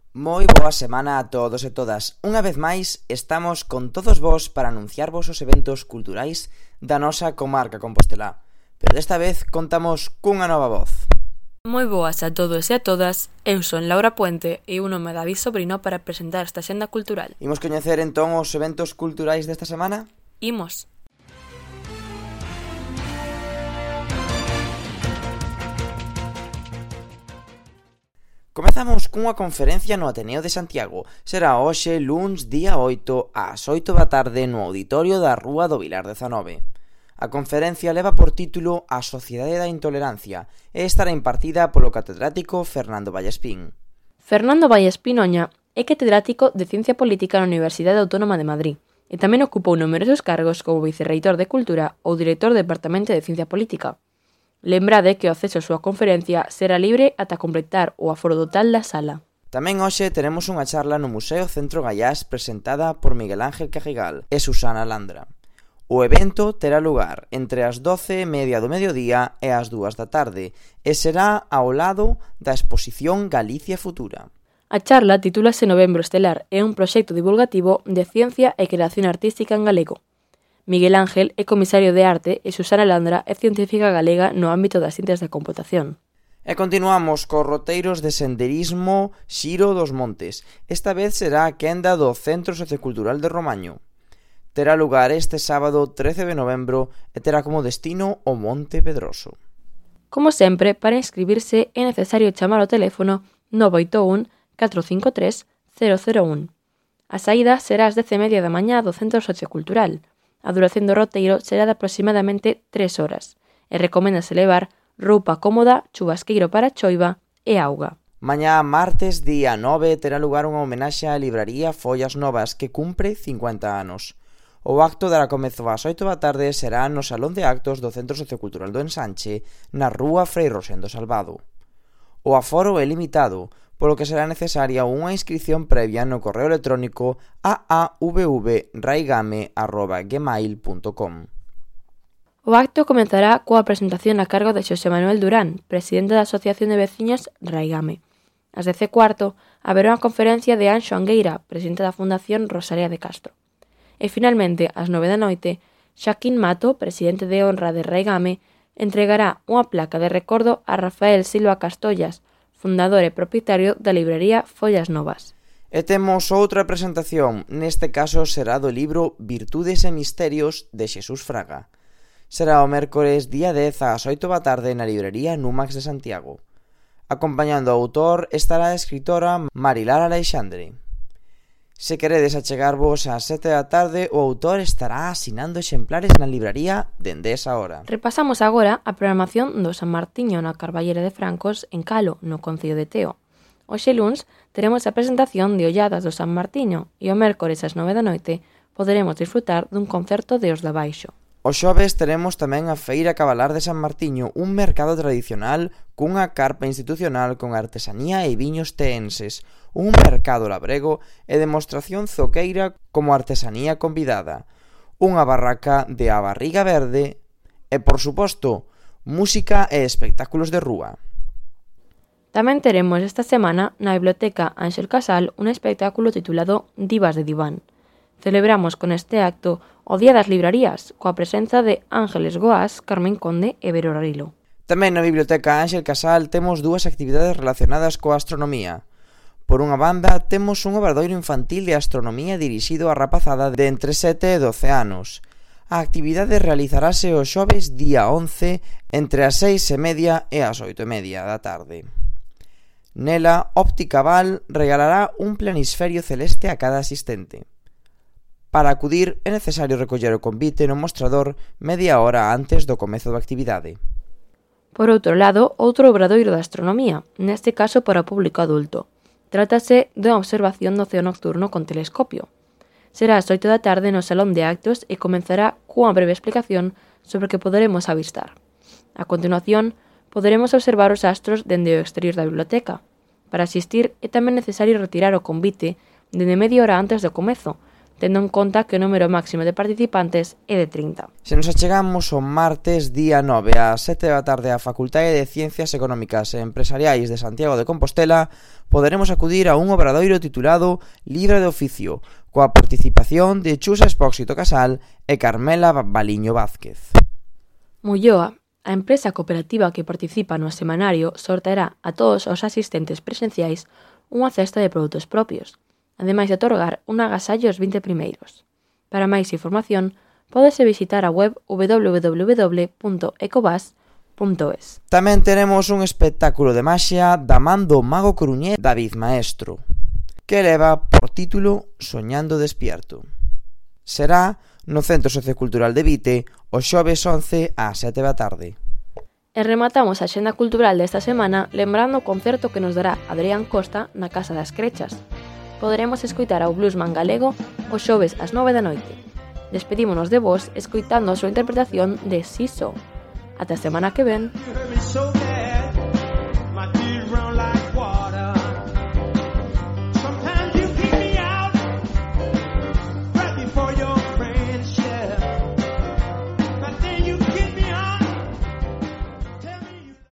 Moi boa semana a todos e todas. Unha vez máis, estamos con todos vos para anunciarvos os eventos culturais da nosa comarca compostelá. Pero desta vez contamos cunha nova voz. Moi boas a todos e a todas, eu son Laura Puente e un nome David Sobrino para presentar esta xenda cultural. Imos coñecer entón os eventos culturais desta semana? Imos. Comezamos cunha conferencia no Ateneo de Santiago. Será hoxe, luns, día 8, ás 8 da tarde no auditorio da Rúa do Vilar 19. A conferencia leva por título A Sociedade da Intolerancia e estará impartida polo catedrático Fernando Vallespín. Fernando Vallespín Oña é catedrático de Ciencia Política na Universidade Autónoma de Madrid e tamén ocupou numerosos cargos como vicerreitor de Cultura ou director do Departamento de Ciencia Política. Lembrade que o acceso á súa conferencia será libre ata completar o aforo total da sala. Tamén hoxe teremos unha charla no Museo Centro Gallás presentada por Miguel Ángel Cajigal e Susana Landra. O evento terá lugar entre as 12:30 do mediodía e as 2 da tarde e será ao lado da exposición Galicia Futura. A charla titúlase Novembro Estelar e é un proxecto divulgativo de ciencia e creación artística en galego. Miguel Ángel é comisario de arte e Susana Landra é científica galega no ámbito das ciencias da computación. E continuamos cos roteiros de senderismo Xiro dos Montes. Esta vez será a quenda do Centro Sociocultural de Romaño. Terá lugar este sábado 13 de novembro e terá como destino o Monte Pedroso. Como sempre, para inscribirse é necesario chamar ao teléfono 981 453 001. A saída será ás 10:30 da mañá do Centro Sociocultural. A duración do roteiro será de aproximadamente 3 horas e recoméndase levar roupa cómoda, chubasqueiro para a choiva e auga. Mañá, martes, día 9, terá lugar unha homenaxe á libraría Follas Novas que cumpre 50 anos. O acto dará comezo ás 8 da tarde e será no Salón de Actos do Centro Sociocultural do Ensanche, na Rúa Frei Rosendo Salvado. O aforo é limitado, polo que será necesaria unha inscrición previa no correo electrónico aavvraigame@gmail.com. O acto comezará coa presentación a cargo de Xosé Manuel Durán, presidente da Asociación de Veciños Raigame. Ás 10:15 haberá unha conferencia de Anxo Angueira, presidente da Fundación Rosalía de Castro. E finalmente, ás 9 da noite, Xaquín Mato, presidente de honra de Raigame, entregará unha placa de recordo a Rafael Silva Castollas, fundador e propietario da librería Follas Novas. E temos outra presentación, neste caso será do libro Virtudes e Misterios de Xesús Fraga. Será o mércores día 10 ás 8 da tarde na librería Numax de Santiago. Acompañando ao autor estará a escritora Marilar Aleixandre. Se queredes achegarvos ás 7 da tarde, o autor estará asinando exemplares na libraría dende esa hora. Repasamos agora a programación do San Martiño na Carballera de Francos en Calo, no concello de Teo. Hoxe luns teremos a presentación de Olladas do San Martiño e o mércores ás 9 da noite poderemos disfrutar dun concerto de Os de Baixo. Os xoves teremos tamén a Feira Cabalar de San Martiño, un mercado tradicional cunha carpa institucional con artesanía e viños teenses, un mercado labrego e demostración zoqueira como artesanía convidada, unha barraca de a barriga verde e, por suposto, música e espectáculos de rúa. Tamén teremos esta semana na Biblioteca Ángel Casal un espectáculo titulado Divas de Diván. Celebramos con este acto o Día das Librarías, coa presenza de Ángeles Goás, Carmen Conde e Vero Rilo. Tamén na Biblioteca Ángel Casal temos dúas actividades relacionadas coa astronomía. Por unha banda, temos un obradoiro infantil de astronomía dirixido á rapazada de entre 7 e 12 anos. A actividade realizarase o xoves día 11 entre as 6:30 e as 8:30 da tarde. Nela, Óptica Val regalará un planisferio celeste a cada asistente. Para acudir é necesario recoller o convite no mostrador media hora antes do comezo da actividade. Por outro lado, outro obradoiro de astronomía, neste caso para o público adulto. Trátase de unha observación do ceo nocturno con telescopio. Será ás 8 da tarde no Salón de Actos e comenzará cunha breve explicación sobre o que poderemos avistar. A continuación, poderemos observar os astros dende o exterior da biblioteca. Para asistir é tamén necesario retirar o convite dende media hora antes do comezo, tendo en conta que o número máximo de participantes é de 30. Se nos achegamos o martes día 9 ás 7 da tarde á Facultade de Ciencias Económicas e Empresariais de Santiago de Compostela, poderemos acudir a un obradoiro titulado Libre de Oficio, coa participación de Chus Expósito Casal e Carmela Baliño Vázquez. Mulloa, a empresa cooperativa que participa no semanario, sorteará a todos os asistentes presenciais unha cesta de produtos propios, ademais de otorgar un agasallo aos 20 primeiros. Para máis información, pódese visitar a web www.ecobas.es. Tamén tenemos un espectáculo de maxia da man do mago coruñés David Maestro, que leva por título Soñando Despierto. Será no Centro Sociocultural de Vite o xoves 11 ás 7 da tarde. E rematamos a xenda cultural desta semana lembrando o concerto que nos dará Adrián Costa na Casa das Crechas. Poderemos escoitar ao bluesman galego o xoves ás 9 da noite. Despedímonos de vos escoitando a súa interpretación de Siso. Ata a semana que ven.